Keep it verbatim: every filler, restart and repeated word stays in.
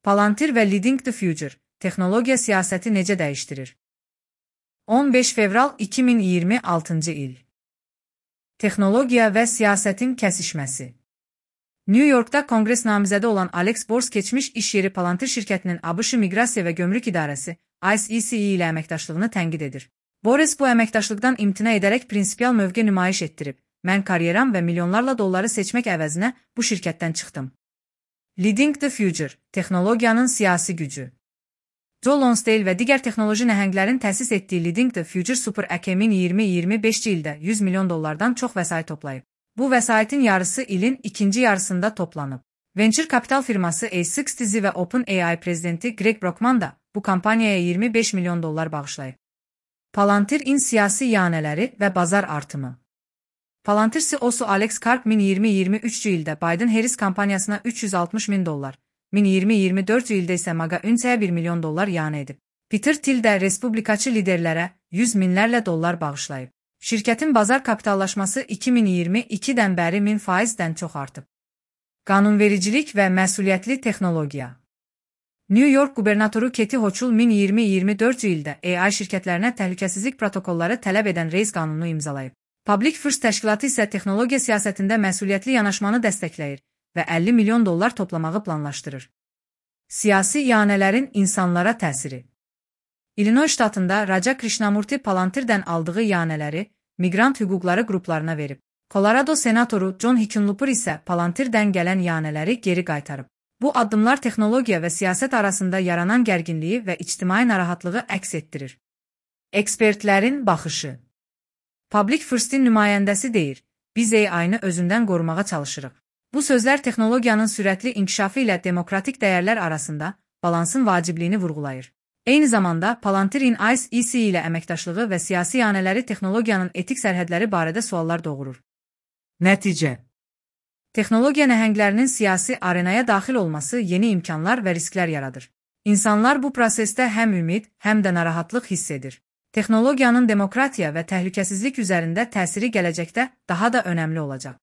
Palantir və Leading the Future, texnologiya siyasəti necə dəyişdirir? on beş fevral iki min iyirmi altıncı il. Texnologiya və siyasətin kəsişməsi. New Yorkda konqres namizədi olan Alex Bors keçmiş iş yeri Palantir şirkətinin ABŞ Miqrasiya və Gömrük İdarəsi I C E C ilə əməkdaşlığını tənqid edir. Boris bu əməkdaşlıqdan imtina edərək prinsipial mövqe nümayiş etdirib. Mən karyeram və milyonlarla dolları seçmək əvəzinə bu şirkətdən çıxdım. Leading the Future, texnologiyanın siyasi gücü. Joe Lonsdale və digər texnoloji nəhənglərin təsis etdiyi Leading the Future Super Əkəmin iyirmi iyirmi beşinci ildə yüz milyon dollardan çox vəsait toplayıb. Bu vəsaitin yarısı ilin ikinci yarısında toplanıb. Venture kapital firması A altmış və OpenAI prezidenti Greg Brockman da bu kampaniyaya iyirmi beş milyon dollar bağışlayıb. Palantir-in siyasi iyanələri və bazar artımı. Palantir C E O'su Alex Karp min iyirmi iyirmi üçüncü ildə Biden-Harris kampaniyasına üç yüz altmış min dollar, min iyirmi iyirmi dördüncü ildə isə MAGA-Ünsəyə bir milyon dollar iyanə edib. Peter Thiel də respublikaçı liderlərə yüz minlərlə dollar bağışlayıb. Şirkətin bazar kapitallaşması iki min iyirmi ikidən bəri min faizdən çox artıb. Qanunvericilik və məsuliyyətli texnologiya. New York qubernatoru Kathy Hochul min iyirmi iyirmi dördüncü ildə A I şirkətlərinə təhlükəsizlik protokolları tələb edən reys qanunu imzalayıb. Public First təşkilatı isə texnologiya siyasətində məsuliyyətli yanaşmanı dəstəkləyir və əlli milyon dollar toplamağı planlaşdırır. Siyasi iyanələrin insanlara təsiri. Illinois ştatında Raja Krishnamurti Palantirdən aldığı iyanələri miqrant hüquqları qruplarına verib. Colorado senatoru John Hickenlooper isə Palantirdən gələn iyanələri geri qaytarıb. Bu addımlar texnologiya və siyasət arasında yaranan gərginliyi və ictimai narahatlığı əks etdirir. Ekspertlərin baxışı. Public First-in nümayəndəsi deyir, biz A I-nı özündən qorumağa çalışırıq. Bu sözlər texnologiyanın sürətli inkişafı ilə demokratik dəyərlər arasında balansın vacibliyini vurğulayır. Eyni zamanda Palantir-in I C E C ilə əməkdaşlığı və siyasi iyanələri texnologiyanın etik sərhədləri barədə suallar doğurur. Nəticə. Texnologiya nəhənglərinin siyasi arenaya daxil olması yeni imkanlar və risklər yaradır. İnsanlar bu prosesdə həm ümid, həm də narahatlıq hiss edir. Texnologiyanın demokratiya və təhlükəsizlik üzərində təsiri gələcəkdə daha da önəmli olacaq.